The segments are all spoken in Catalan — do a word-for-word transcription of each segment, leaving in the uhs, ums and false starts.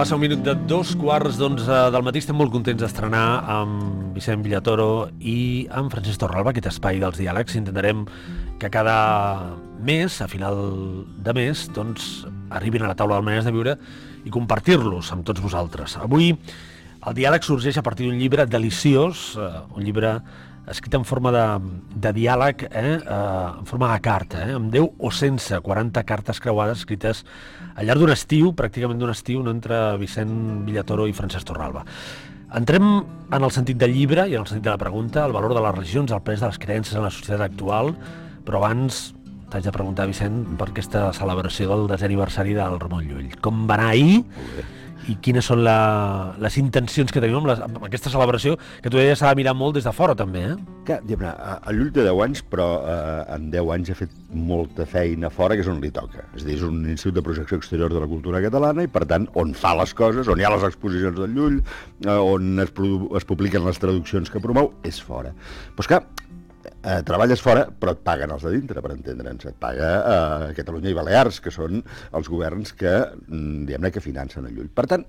Passa un minut de dos quarts d'onze del matí. Estem molt contents d'estrenar amb Vicent Villatoro i amb Francesc Torralba aquest espai dels diàlegs. Intentarem que cada mes, a final de mes, doncs, arribin a la taula de maneres de viure i compartir-los amb tots vosaltres. Avui el diàleg sorgeix a partir d'un llibre deliciós, un llibre escrit en forma de, de diàleg, eh? en forma de carta, eh? amb deu o sense quaranta cartes creuades escrites al llarg d'un estiu, pràcticament d'un estiu, no, entre Vicent Villatoro i Francesc Torralba. Entrem en el sentit del llibre i en el sentit de la pregunta, el valor de les religions, el pes de les creences en la societat actual, però abans t'haig de preguntar, Vicent, per aquesta celebració del desè aniversari del Ramon Llull. Com va anar ahir? I quines són la, les intencions que tenim amb, les, amb aquesta celebració, que tu ja s'ha de mirar molt des de fora, també, eh? Que, diguem-ne, el Llull té deu anys, però eh, en deu anys ha fet molta feina fora, que és on li toca. És a dir, és un institut de projecció exterior de la cultura catalana i, per tant, on fa les coses, on hi ha les exposicions del Llull, eh, on es, es publiquen les traduccions que promou, és fora. Però és que eh, treballes fora, però et paguen els de dintre, per entendre'ns. Et paga eh, Catalunya i Balears, que són els governs que, diguem-ne, que financen el Llull. Per tant,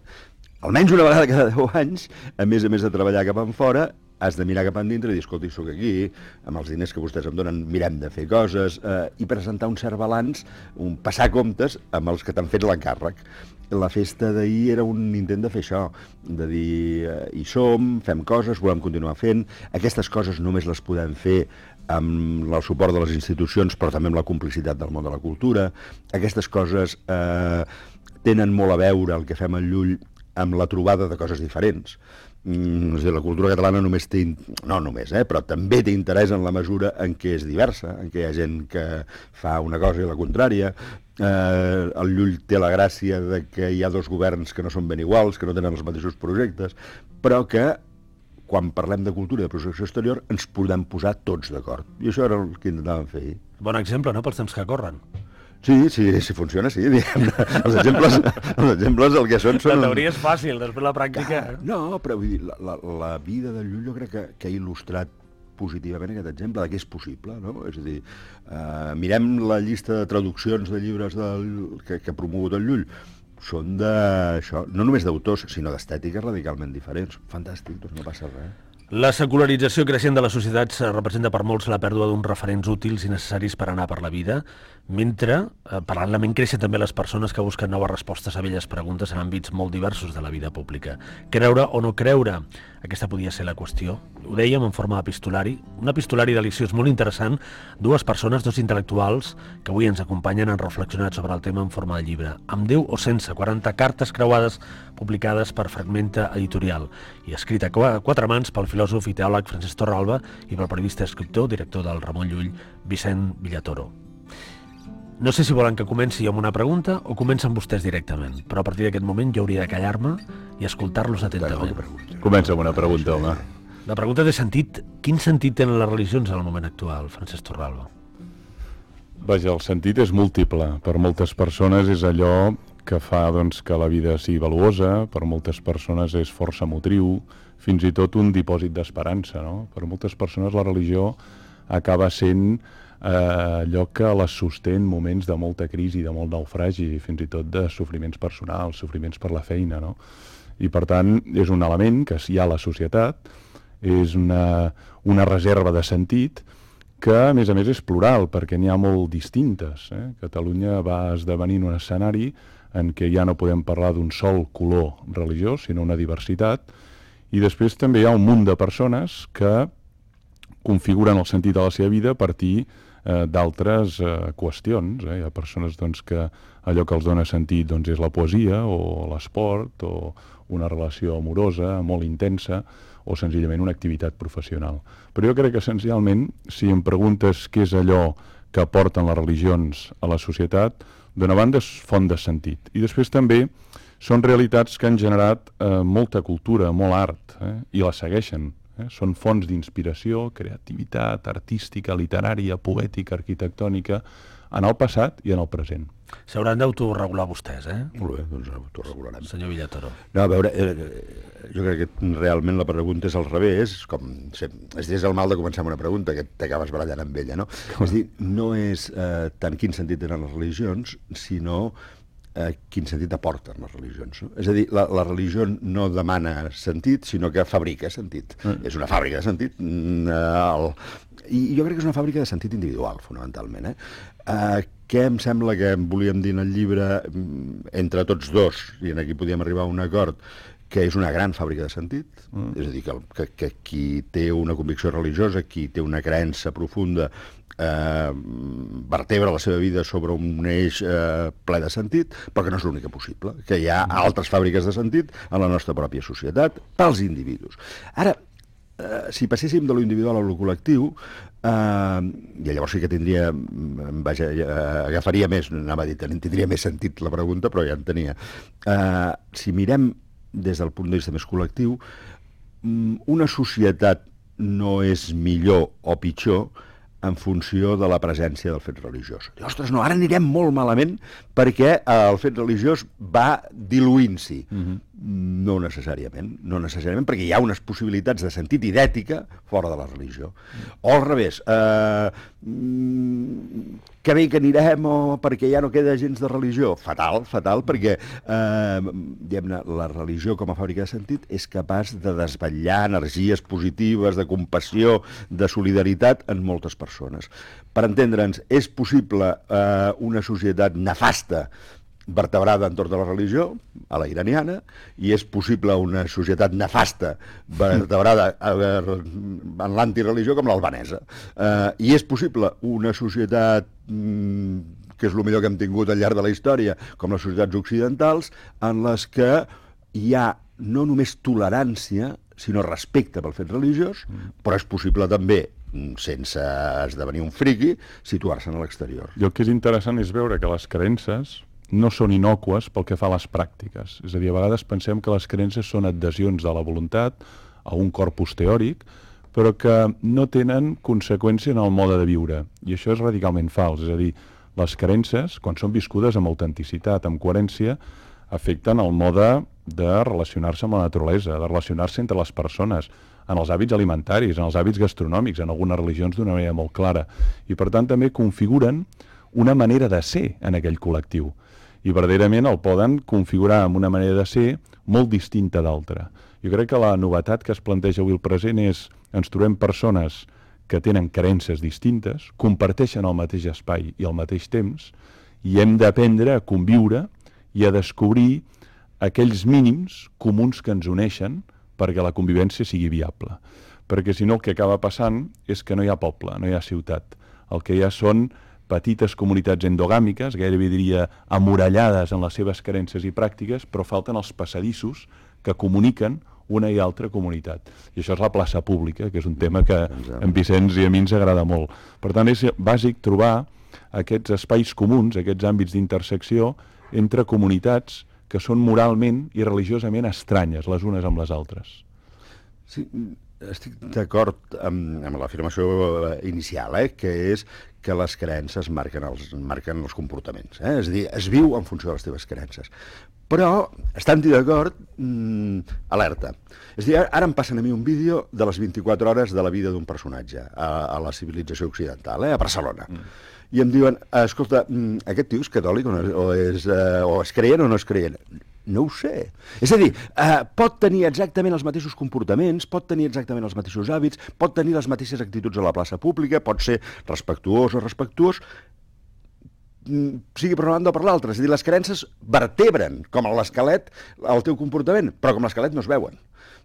almenys una vegada cada deu anys, a més a més de treballar cap enfora, has de mirar cap endintre i dir, escolta, soc aquí, amb els diners que vostès em donen mirem de fer coses, eh, i presentar un cert balanç, un passar comptes amb els que t'han fet l'encàrrec. La festa d'ahir era un intent de fer això, de dir, eh, hi som, fem coses, volem continuar fent, aquestes coses només les podem fer amb el suport de les institucions, però també amb la complicitat del món de la cultura. Aquestes coses eh, tenen molt a veure, el que fem al Llull, amb la trobada de coses diferents. Mm, és a dir, la cultura catalana només té, no només, eh, però també té interès en la mesura en què és diversa, en què hi ha gent que fa una cosa i la contrària. Eh, el Llull té la gràcia de que hi ha dos governs que no són ben iguals, que no tenen els mateixos projectes, però que quan parlem de cultura i de projecció exterior ens podem posar tots d'acord. I això era el que intentàvem fer ahir. Bon exemple, no?, pels temps que corren. Sí, sí, si funciona, sí. Els exemples, els exemples el que són... són... La teoria és fàcil, després la pràctica... No, però vull dir, la, la, la vida del Llull jo crec que, que ha il·lustrat positivament aquest exemple de què és possible, no? És a dir, eh, mirem la llista de traduccions de llibres del, que, que ha promogut el Llull, són de, això, no només d'autors, sinó d'estètiques radicalment diferents. Fantàstic, doncs no passa res. La secularització creixent de les societats representa per molts la pèrdua d'uns referents útils i necessaris per anar per la vida, mentre, eh, paral·lelament, creixen també les persones que busquen noves respostes a velles preguntes en àmbits molt diversos de la vida pública. Creure o no creure? Aquesta podia ser la qüestió. Ho dèiem en forma d'epistolari, un epistolari deliciós, molt interessant, dues persones, dos intel·lectuals, que avui ens acompanyen, han reflexionat sobre el tema en forma de llibre, amb deu o sense quaranta cartes creuades publicades per Fragmenta Editorial i escrita a quatre mans pel filòsof i teòleg Francesc Torralba i pel periodista, escriptor, director del Ramon Llull, Vicent Villatoro. No sé si volen que comenci amb una pregunta o comencen vostès directament, però a partir d'aquest moment jo hauria de callar-me i escoltar-los atentament. Comença amb una pregunta, home. La pregunta té sentit. Quin sentit tenen les religions en el moment actual, Francesc Torralba? Vaja, el sentit és múltiple. Per moltes persones és allò que fa, doncs, que la vida sigui valuosa, per moltes persones és força motriu, fins i tot un dipòsit d'esperança, no? Per moltes persones la religió acaba sent eh, allò que les sosté en moments de molta crisi, de molt naufragi, fins i tot de sofriments personals, sofriments per la feina, no? I per tant és un element que hi ha a la societat, és una, una reserva de sentit que a més a més és plural, perquè n'hi ha molt distintes. Eh? Catalunya va esdevenir un escenari en què ja no podem parlar d'un sol color religiós, sinó una diversitat, i després també hi ha un munt de persones que configuren el sentit de la seva vida a partir eh, d'altres eh, qüestions. Eh? Hi ha persones, doncs, que allò que els dona sentit, doncs, és la poesia o l'esport o una relació amorosa molt intensa o senzillament una activitat professional. Però jo crec que essencialment, si em preguntes què és allò que aporten les religions a la societat, d'una banda és font de sentit. I després també són realitats que han generat eh, molta cultura, molt art, eh? I la segueixen. Eh? Són fonts d'inspiració, creativitat artística, literària, poètica, arquitectònica, en el passat i en el present. S'hauran d'autoregular vostès, eh? Molt bé, doncs autoregularem. Senyor Villatoro. No, a veure, eh, jo crec que realment la pregunta és al revés, com, és, és el mal de començar amb una pregunta, que t'acabes barallant amb ella, no? Com? És dir, no és eh, tant quin sentit tenen les religions, sinó eh, quin sentit aporten les religions. No? És a dir, la, la religió no demana sentit, sinó que fabrica sentit. Mm. És una fàbrica de sentit. Mm, el... I jo crec que és una fàbrica de sentit individual, fonamentalment. Eh? Eh, què em sembla que volíem dir en el llibre, entre tots dos, i en aquí podíem arribar a un acord, que és una gran fàbrica de sentit, mm. és a dir, que, que, que qui té una convicció religiosa, qui té una creença profunda, eh, vertebra la seva vida sobre un eix eh, ple de sentit, però que no és l'única possible, que hi ha altres fàbriques de sentit en la nostra pròpia societat, pels individus. Ara, eh, si passéssim de lo individual a lo col·lectiu, eh, i llavors sí que tindria, vaja, agafaria més, anava a dir, tindria més sentit la pregunta, però ja en tenia. Eh, si mirem des del punt de vista més col·lectiu, una societat no és millor o pitjor en funció de la presència del fet religiós. I, ostres, no, ara anirem molt malament perquè el fet religiós va diluint-s'hi. Mm-hmm. No necessàriament, no necessàriament, perquè hi ha unes possibilitats de sentit i d'ètica fora de la religió. O al revés, eh, que bé que anirem o perquè ja no queda gens de religió. Fatal, fatal, perquè eh, diguem-ne, la religió com a fàbrica de sentit és capaç de desvetllar energies positives, de compassió, de solidaritat en moltes persones. Per entendre'ns, és possible eh, una societat nefasta vertebrada entorn de la religió, a la iraniana, i és possible una societat nefasta vertebrada en l'antireligió com l'albanesa. Eh, I és possible una societat mm, que és el millor que hem tingut al llarg de la història, com les societats occidentals, en les que hi ha no només tolerància, sinó respecte pel fet religiós, però és possible també, sense esdevenir un friqui, situar-se a l'exterior. I el que és interessant és veure que les creences no són innocues pel que fa a les pràctiques. És a dir, a vegades pensem que les creences són adhesions de la voluntat a un corpus teòric, però que no tenen conseqüència en el mode de viure. I això és radicalment fals. És a dir, les creences, quan són viscudes amb autenticitat, amb coherència, afecten el mode de relacionar-se amb la naturalesa, de relacionar-se entre les persones, en els hàbits alimentaris, en els hàbits gastronòmics, en algunes religions d'una manera molt clara. I, per tant, també configuren una manera de ser en aquell col·lectiu. I verdaderament el poden configurar amb una manera de ser molt distinta d'altra. Jo crec que la novetat que es planteja avui al present és ens trobem persones que tenen creences distintes, comparteixen el mateix espai i el mateix temps, i hem d'aprendre a conviure i a descobrir aquells mínims comuns que ens uneixen perquè la convivència sigui viable. Perquè si no el que acaba passant és que no hi ha poble, no hi ha ciutat. El que hi ha són petites comunitats endogàmiques, gairebé diria amurallades en les seves creences i pràctiques, però falten els passadissos que comuniquen una i altra comunitat. I això és la plaça pública, que és un tema que a en Vicenç i a mi ens agrada molt. Per tant, és bàsic trobar aquests espais comuns, aquests àmbits d'intersecció entre comunitats que són moralment i religiosament estranyes les unes amb les altres. Sí, estic d'acord amb, amb l'afirmació inicial, eh, que és que les creences marquen els, marquen els comportaments. Eh? És a dir, es viu en funció de les teves creences. Però, estant-hi d'acord, mmm, alerta. És a dir, ara em passen a mi un vídeo de les vint-i-quatre hores de la vida d'un personatge a, a la civilització occidental, eh, a Barcelona. Mm. I em diuen, escolta, aquest tio és catòlic o, no, o, és, uh, o és creient o no és creient? No ho sé. És a dir, eh, pot tenir exactament els mateixos comportaments, pot tenir exactament els mateixos hàbits, pot tenir les mateixes actituds a la plaça pública, pot ser respectuós o respectuós, sigui per una banda o per l'altra. És a dir, les creences vertebren, com l'esquelet, el teu comportament, però com l'esquelet no es veuen.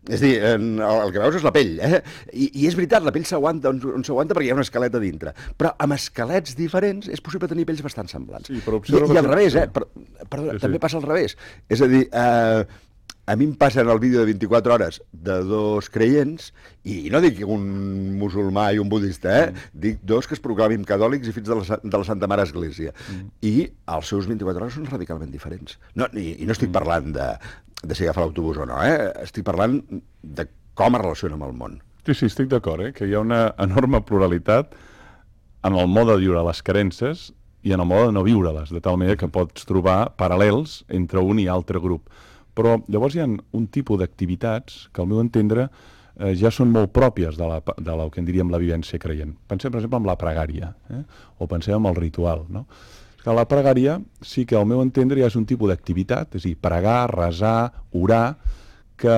És a dir, el que veus és la pell, eh? I, i és veritat, la pell s'aguanta on, on s'aguanta perquè hi ha un esquelet a dintre. Però amb esquelets diferents és possible tenir pells bastant semblants. Sí, però I, I al revés, eh? Per, perdona, sí, sí. També passa al revés. És a dir, eh, a mi em passen el vídeo de vint-i-quatre hores de dos creients, i no dic un musulmà i un budista, eh? Mm. Dic dos que es proclamin catòlics i fills de la, de la Santa Mare Església. Mm. I els seus vint-i-quatre hores són radicalment diferents. No, i, i no estic mm. parlant de... de si agafa l'autobús o no, eh? Estic parlant de com es relaciona amb el món. Sí, sí, estic d'acord, eh? Que hi ha una enorme pluralitat en el mode de viure les creences i en el mode de no viure-les, de tal manera que pots trobar paral·lels entre un i altre grup. Però llavors hi ha un tipus d'activitats que, al meu entendre, eh, ja són molt pròpies de la, de la que en diríem la vivència creient. Pensem, per exemple, en la pregària, eh? O pensem en el ritual, no? Que la pregària sí que al meu entendre ja és un tipus d'activitat, és a dir, pregar, resar, orar, que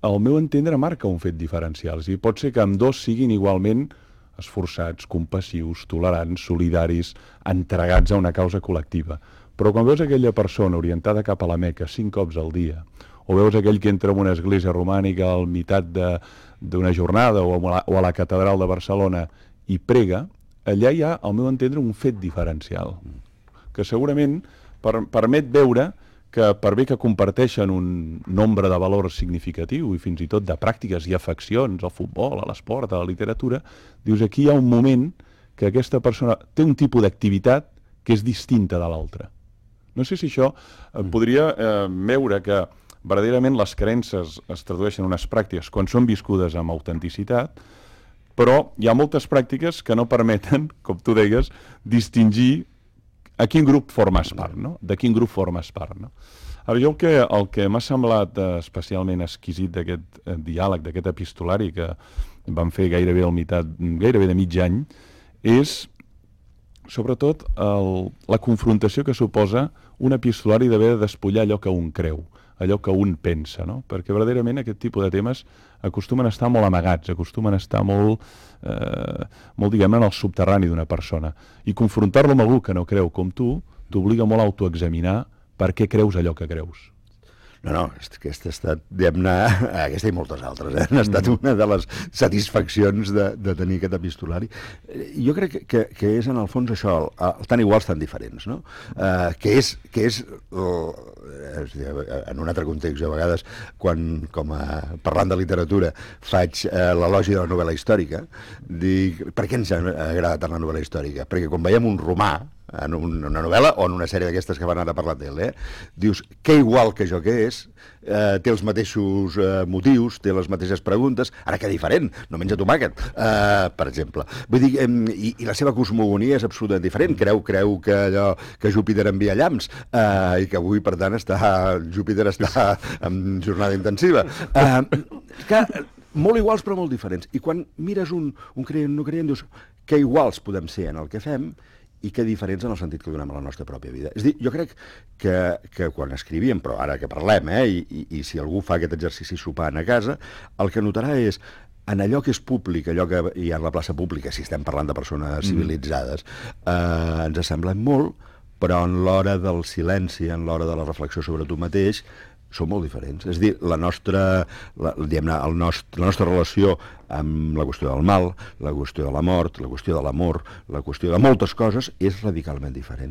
al meu entendre marca un fet diferencial. És a dir, pot ser que amb dos siguin igualment esforçats, compassius, tolerants, solidaris, entregats a una causa col·lectiva. Però quan veus aquella persona orientada cap a la Meca cinc cops al dia, o veus aquell que entra en una església romànica al meitat d'una jornada o a, la, o a la catedral de Barcelona i prega, allà hi ha, al meu entendre, un fet diferencial, que segurament per, permet veure que per bé que comparteixen un nombre de valors significatiu i fins i tot de pràctiques i afeccions al futbol, a l'esport, a la literatura, dius, aquí hi ha un moment que aquesta persona té un tipus d'activitat que és distinta de l'altra. No sé si això eh, podria eh, veure que verdaderament les creences es tradueixen en unes pràctiques quan són viscudes amb autenticitat, però hi ha moltes pràctiques que no permeten, com tu deies, distingir a quin grup formes part, no? De quin grup formes part, no? Ara, jo el que, el que m'ha semblat eh, especialment exquisit d'aquest eh, diàleg, d'aquest epistolari que vam fer gairebé al meitat, gairebé de mig any, és sobretot el, la confrontació que suposa un epistolari d'haver de despullar allò que un creu, allò que un pensa, no? Perquè verdaderament aquest tipus de temes acostumen a estar molt amagats, acostumen a estar molt, eh, molt diguem-ne, en el subterrani d'una persona. I confrontar-lo amb algú que no creu com tu t'obliga molt a autoexaminar per què creus allò que creus. No, no, aquesta ha estat, diguem-ne, aquesta i moltes altres, eh? Ha estat una de les satisfaccions de, de tenir aquest epistolari. Jo crec que, que és, en el fons, això, el, el tan iguals, tan diferents, no? Uh, que és, que és uh, en un altre context, jo a vegades, quan, com a, parlant de literatura, faig uh, l'elogi de la novel·la històrica, dic, per què ens agrada tant la novel·la històrica? Perquè quan veiem un romà, en una novel·la o en una sèrie d'aquestes que van ara parlar d'ell, eh? Dius, que igual que jo que és, eh, té els mateixos eh, motius, té les mateixes preguntes, ara que diferent, no menja tomàquet, eh, per exemple. Vull dir, eh, i, i la seva cosmogonia és absolutament diferent, creu, creu que, allò, que Júpiter envia llamps, eh, i que avui, per tant, està, Júpiter està en jornada intensiva. Eh, que, molt iguals però molt diferents. I quan mires un, un creient no creient, dius, que iguals podem ser en el que fem, i que diferents en el sentit que donem a la nostra pròpia vida. És a dir, jo crec que, que quan escrivíem, però ara que parlem, eh, i, i, i si algú fa aquest exercici sopant a casa, el que notarà és, en allò que és públic, allò que hi ha a la plaça pública, si estem parlant de persones civilitzades, eh, ens assemblem molt, però en l'hora del silenci, en l'hora de la reflexió sobre tu mateix, són molt diferents. És a dir, la nostra, la, diguem-ne, el nostre, la nostra relació amb la qüestió del mal, la qüestió de la mort, la qüestió de l'amor, la qüestió de moltes coses, és radicalment diferent.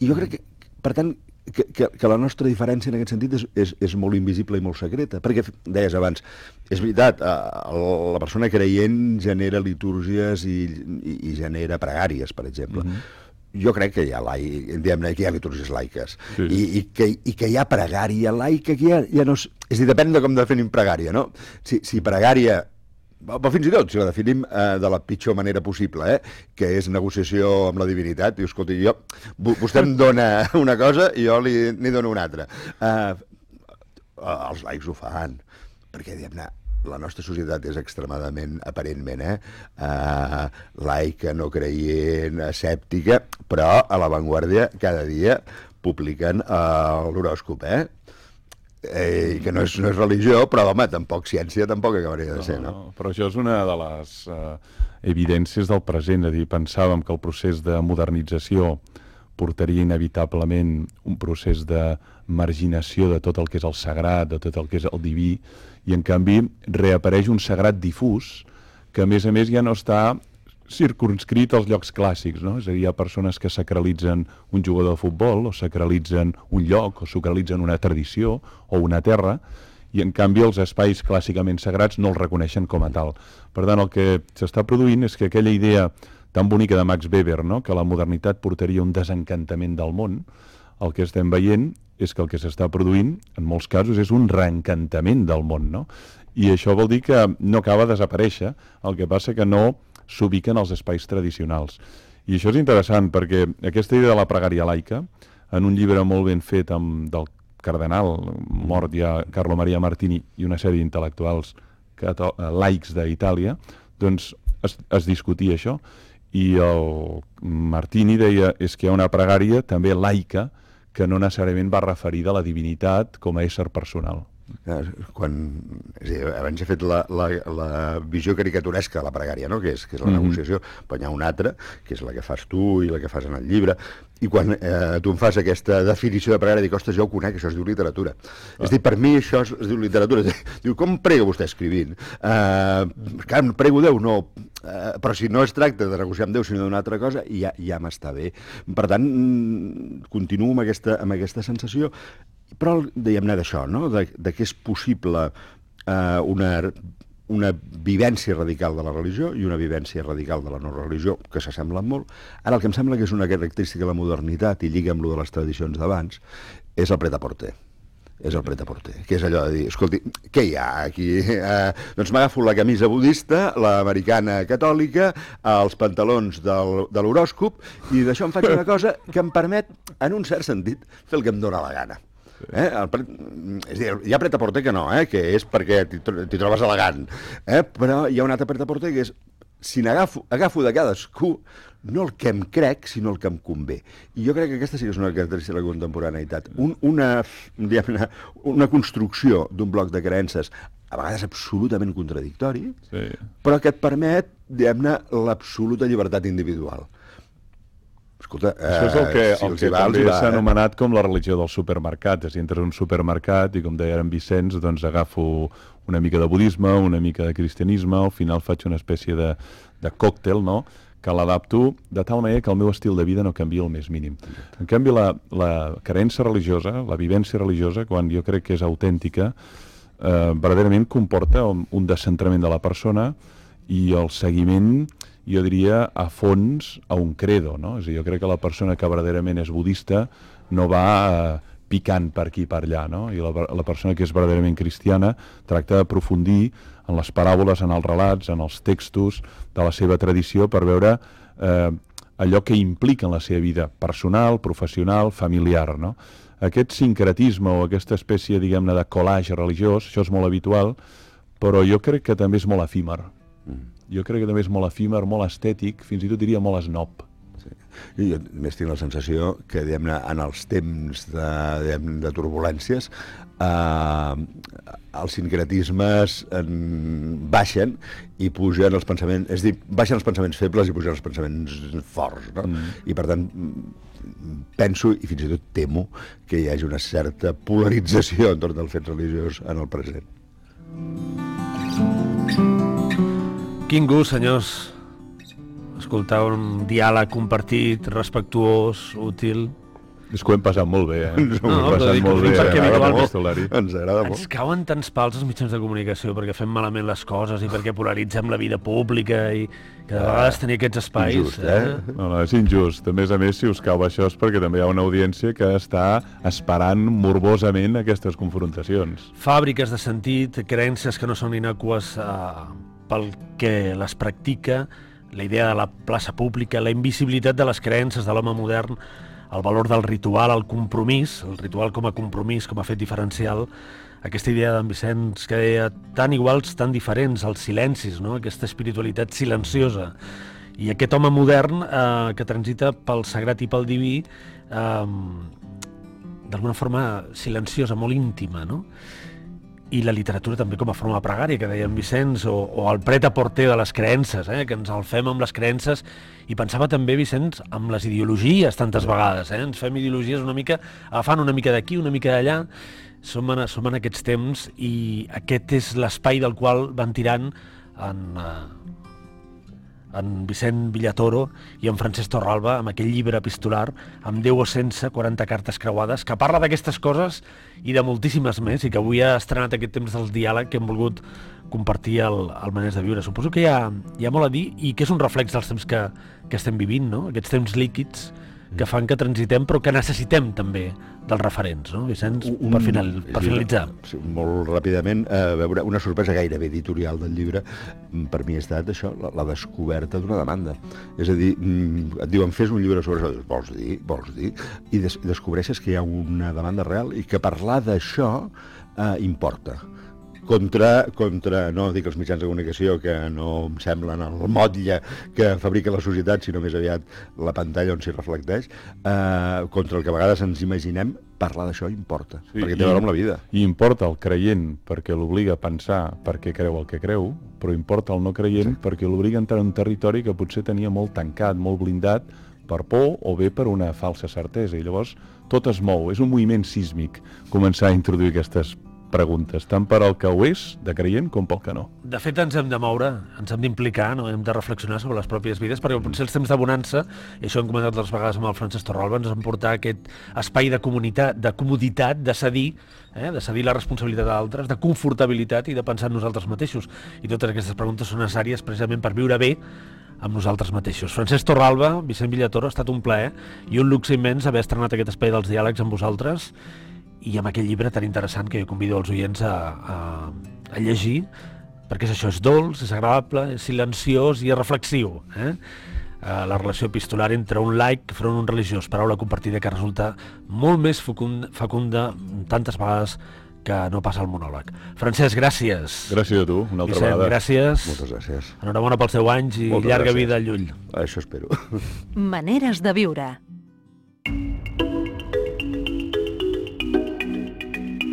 I jo crec que, per tant, que, que, que la nostra diferència en aquest sentit és, és, és molt invisible i molt secreta. Perquè, deies abans, és veritat, la persona creient genera litúrgies i, i, i genera pregàries, per exemple. Mm-hmm. Jo crec que hi ha, lai, diguem-ne, que hi ha litúrgies laiques, sí. I, i, que, i que hi ha pregària laica, que ja, ja no és... És a dir, depèn de com definim pregària, no? Si, si pregària, però fins i tot, si la definim eh, de la pitjor manera possible, eh, que és negociació amb la divinitat, diu, escolta, jo, vostè em dona una cosa i jo li, li dono una altra. Eh, els laics ho fan, perquè, diguem-ne, la nostra societat és extremadament, aparentment, eh, uh, laica, no creient, escèptica, però a l'avantguàrdia cada dia publiquen uh, l'horòscop, eh? Eh, que no és, no és religió, però, home, tampoc ciència tampoc acabaria de ser, no? no? Però això és una de les uh, evidències del present, és a dir, pensàvem que el procés de modernització portaria inevitablement un procés de marginació de tot el que és el sagrat, de tot el que és el diví, i en canvi reapareix un sagrat difús que a més a més ja no està circumscrit als llocs clàssics, no? És a dir, hi ha persones que sacralitzen un jugador de futbol, o sacralitzen un lloc, o sacralitzen una tradició o una terra, i en canvi els espais clàssicament sagrats no els reconeixen com a tal. Per tant, el que s'està produint és que aquella idea tan bonica de Max Weber, no? Que la modernitat portaria un desencantament del món, el que estem veient és que el que s'està produint, en molts casos, és un reencantament del món, no? I això vol dir que no acaba de desaparèixer, el que passa que no s'ubiquen als espais tradicionals. I això és interessant, perquè aquesta idea de la pregària laica, en un llibre molt ben fet amb, del cardenal, mort ja Carlo Maria Martini, i una sèrie d'intel·lectuals laics d'Itàlia, doncs es, es discutia això, I el Martini deia és que hi ha una pregària també laica que no necessàriament va referida a la divinitat com a ésser personal. Quan, és a dir, abans he fet la, la, la visió caricaturesca de la pregària, no? que, és, que és la negociació, mm-hmm. però hi ha una altra, que és la que fas tu i la que fas en el llibre, i quan eh, tu em fas aquesta definició de pregària, dic, ostres, jo ho conec, això es diu literatura. Ah. És a dir, per mi això es, es diu literatura. Diu, com prega vostè escrivint? Uh, clar, prego Déu, no, uh, però si no es tracta de negociar amb Déu, sinó d'una altra cosa, ja, ja m'està bé. Per tant, continuo amb aquesta, amb aquesta sensació, però diguem-ne d'això, no? de, de que és possible eh, una, una vivència radical de la religió i una vivència radical de la no religió, que s'assemblen molt. Ara el que em sembla que és una característica de la modernitat, i lliga amb lo de les tradicions d'abans, és el pret-a-porter. És el pret-a-porter, que és allò de dir, escolti, què hi ha aquí? Eh, doncs m'agafo la camisa budista, l'americana catòlica, els pantalons del, de l'horòscop, i d'això em faig una cosa que em permet, en un cert sentit, fer el que em dóna la gana. Eh? El pre... és a dir, hi ha pret-a-porter que no, eh? que és perquè t'hi trobes elegant, eh? però hi ha un altre pret-a-porter que és, si n'agafo agafo de cadascú, no el que em crec, sinó el que em convé. I jo crec que aquesta sí que és una característica de la contemporaneïtat. Un, una, diguem-ne, una construcció d'un bloc de creences, a vegades absolutament contradictori, sí. però que et permet, diguem-ne, l'absoluta llibertat individual. Escolta, eh, això és el que, si el que va, també va, s'ha eh? anomenat com la religió del supermercat. És a dir, entres en un supermercat i, com deia en Vicenç, doncs agafo una mica de budisme, una mica de cristianisme, al final faig una espècie de, de còctel, no?, que l'adapto de tal manera que el meu estil de vida no canvia el més mínim. En canvi, la, la creença religiosa, la vivència religiosa, quan jo crec que és autèntica, eh, verdaderament comporta un, un descentrament de la persona i el seguiment, jo diria, a fons a un credo, no? És a dir, jo crec que la persona que verdaderament és budista no va eh, picant per aquí i per allà, no? I la, la persona que és verdaderament cristiana tracta d'aprofundir en les paràboles, en els relats, en els textos de la seva tradició per veure eh, allò que implica en la seva vida personal, professional, familiar, no? Aquest sincretisme o aquesta espècie, diguem-ne, de collage religiós, això és molt habitual, però jo crec que també és molt efímer. Mm. Jo crec que també és molt efímer, molt estètic, fins i tot diria molt esnob. Sí. I jo més tinc la sensació que, diguem-ne, en els temps de, de turbulències, eh, els sincretismes en, baixen i pugen els pensaments, és a dir, baixen els pensaments febles i pugen els pensaments forts, no? Mm. I per tant penso i fins i tot temo que hi hagi una certa polarització entorn del fet religiós en el present. Quin gust, senyors, escoltar un diàleg compartit, respectuós, útil. És que ho hem passat molt bé, eh? Ens ho hem no, passat molt bé. Perquè eh? molt. Ens agrada molt. Ens cauen tants pals als mitjans de comunicació perquè fem malament les coses i perquè polaritzem la vida pública i que de vegades tenir aquests espais... Injust, eh? eh? No, no, és injust. A més a més, si us cau això és perquè també hi ha una audiència que està esperant morbosament aquestes confrontacions. Fàbriques de sentit, creences que no són innocues eh, pel que les practica, la idea de la plaça pública, la invisibilitat de les creences de l'home modern, el valor del ritual, el compromís, el ritual com a compromís, com a fet diferencial, aquesta idea d'en Vicenç que deia tan iguals, tan diferents, els silencis, no? Aquesta espiritualitat silenciosa. I aquest home modern eh, que transita pel sagrat i pel diví, eh, d'alguna forma silenciosa, molt íntima, no? I la literatura també com a forma pregària, que deia en Vicenç, o, o el pret-a-porter de les creences, eh? Que ens el fem amb les creences, i pensava també, Vicenç, amb les ideologies tantes vegades, eh? Ens fem ideologies una mica, agafant una mica d'aquí, una mica d'allà, som en, som en aquests temps, i aquest és l'espai del qual van tirant en, eh, en Vicent Villatoro i en Francesc Torralba, amb aquell llibre epistolar, amb Déu o sense, quaranta cartes creuades, que parla d'aquestes coses i de moltíssimes més, i que avui ha estrenat aquest temps del diàleg que hem volgut compartir al, al Maners de Viure. Suposo que hi ha, hi ha molt a dir i que és un reflex dels temps que, que estem vivint, no? Aquests temps líquids que fan que transitem, però que necessitem també dels referents, no, Vicenç? Un, per, final, per finalitzar. Sí, molt ràpidament, eh, veure una sorpresa gairebé editorial del llibre, per mi ha estat això, la, la descoberta d'una demanda. És a dir, et diuen, fes un llibre sobre això, vols dir, vols dir, i des, descobreixes que hi ha una demanda real i que parlar d'això eh, importa. contra, contra, no dic els mitjans de comunicació, que no em semblen el motlle que fabrica la societat, sinó més aviat la pantalla on s'hi reflecteix, eh, contra el que a vegades ens imaginem, parlar d'això importa, sí, perquè té a veure amb la vida. I importa el creient perquè l'obliga a pensar perquè creu el que creu, però importa el no creient sí. perquè l'obliga a entrar en un territori que potser tenia molt tancat, molt blindat, per por o bé per una falsa certesa. I llavors tot es mou, és un moviment sísmic començar a introduir aquestes preguntes, tant per al que ho és, de creient, com pel que no. De fet, ens hem de moure, ens hem d'implicar, no? Hem de reflexionar sobre les pròpies vides, perquè potser els temps de bonança, i això hem comentat altres vegades amb el Francesc Torralba, ens han portat aquest espai de comunitat, de comoditat, de cedir, eh? de cedir la responsabilitat a altres, de confortabilitat i de pensar en nosaltres mateixos. I totes aquestes preguntes són necessàries precisament per viure bé amb nosaltres mateixos. Francesc Torralba, Vicent Villatoro, ha estat un plaer i un luxe immens haver estrenat aquest espai dels diàlegs amb vosaltres i amb aquell llibre tan interessant que jo convido els oients a, a, a llegir, perquè és això, és dolç, és agradable, és silenciós i és reflexiu. Eh? La relació epistolar entre un laic front a un religiós, paraula compartida que resulta molt més fecunda, fecunda tantes vegades que no passa el monòleg. Francesc, gràcies. Gràcies a tu, una altra Vicent, vegada. gràcies. Moltes gràcies. Enhorabona pels deu anys i Moltes llarga gràcies. vida al Llull. Això espero. Maneres de viure.